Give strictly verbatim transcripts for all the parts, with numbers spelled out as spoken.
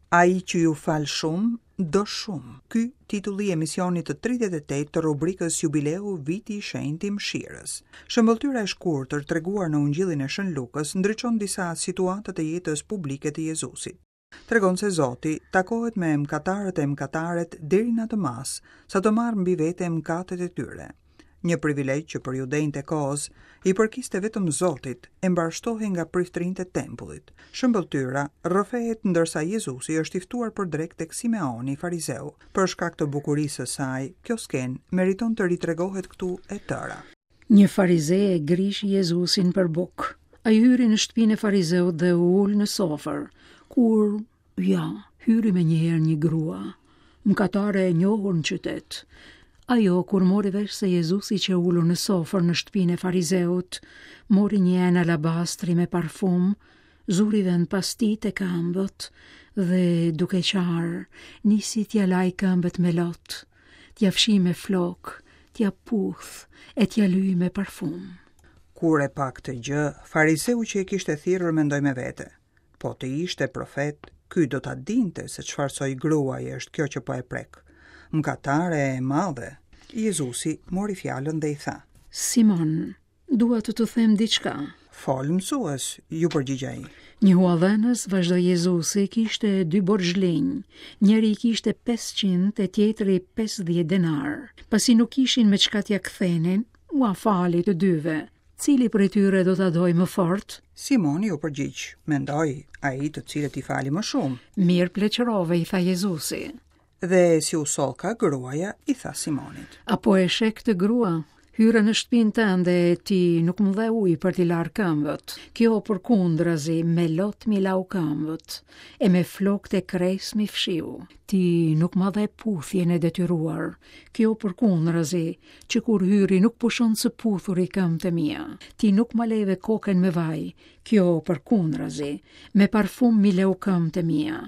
Ai që ju fal shumë, do shumë. Ky titulli i emisionit të tridhjetë e tetë të rubrikës Jubileu Viti i Shenjtë i Mëshirës. Shëmbëlltyra e shkurtër treguar në Ungjillin e Shën Lukës ndriçon disa situata të jetës publike të Jezusit. Tregon se Zoti takohet me mëkatarët e mëkataret deri në atë masë, sa të marrë mbi vete mëkatet e tyre. Një privilegj që për judenjtë e kohës i përkiste vetëm Zotit, e mbarshtohej nga priftërinjtë e tempullit. Shëmbëlltyra rrëfehet ndërsa Jezusi është i ftuar për drekë tek Simeoni, farizeu. Për shkak të bukurisë së saj, kjo skenë meriton të ritregohet këtu e tëra. Një farize e grishi Jezusin për bukë. Ai hyri në shtëpinë e farizeut dhe u ul në sofër, kur, ja, hyri me njëherë një grua, mëkatare e njohur në qytet. Ajo, kur mori vesh se Jezusi që ulur në sofër në shtëpinë e farizeut, mori një enë alabastri me parfum, zuri vend pas tij te këmbët dhe duke qarë, nisi t'ja laj këmbët me lot, t'ja fshi me flok, t'ja puth e t'ja lyj me parfum. Kur e pa këtë gjë, farizeu që e kishte thirrur mendoi me vete: po të ishte profet, ky do ta dinte se çfarë soj gruaje është kjo që po e prek. Mëkatare e madhe. Jezusi mori fjalën dhe i tha: Simon, dua të të them diçka. Fol, mësues, ju përgjigj ai. Një huadhënës, vazhdoi Jezusi, kishte dy borxhlinj. Njëri i kishte pesëqind e tjetri pesëdhjetë denar. Pasi nuk kishin me çka t'ia kthenin, ua fali të dyve. Cili prej tyre do ta dojë më fort? Simoni u përgjigj: Mendoj, ai të cilët i fali më shumë. Mirë pleqërove, i tha Jezusi. Dhe si u sollka gruaja, i tha Simonit: Apo e sheh këtë grua? Hyra në shtëpinë tënde e ti nuk më dhe ujë për t'i larë këmbët. Kjo përkundrazi me lot m'i lau këmbët, e me flokët e kres m'i fshiu. Ti nuk ma dhe puthjen e detyruar. Kjo përkundrazi, që kur hyri nuk pushon së puthuri këmbët e mia. Ti nuk ma leve kokën me vaj. Kjo përkundrazi, me parfum m'i leu këmbët e mia.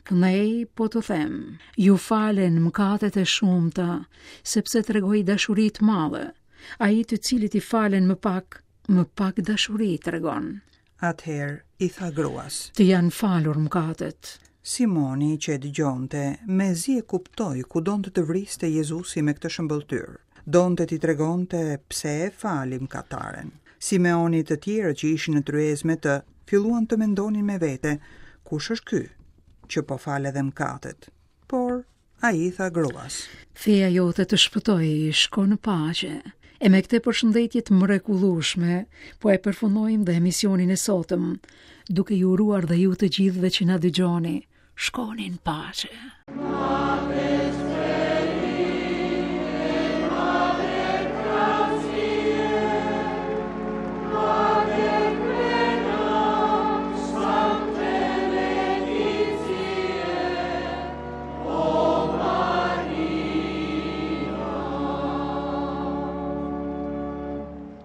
Këndej po të them, ju falen mëkatet e shumta, sepse tregoi dashuri të madhe. Ai të cilit i falen më pak, më pak dashuri tregon. Atëherë i tha gruas: Të janë falur mëkatet. Simoni që e dëgjonte, mezi e kuptoi ku donte të vriste Jezusi me këtë shëmbëlltyrë. Donte t'i tregonte pse e fali mëkataren. Simeoni të tjerë që ishin në tryezë me të, filluan të mendonin me vete, kush është ky që po fal edhe mëkatet? Por ai i tha gruas: Feja jote të shpëtoi, shko në paqe. E me këtë përshëndetje të mrekullueshme, po e përfundojmë dhe emisionin e sotëm, duke ju uruar dhe ju të gjithëve që na dëgjoni, shkoni në paqe.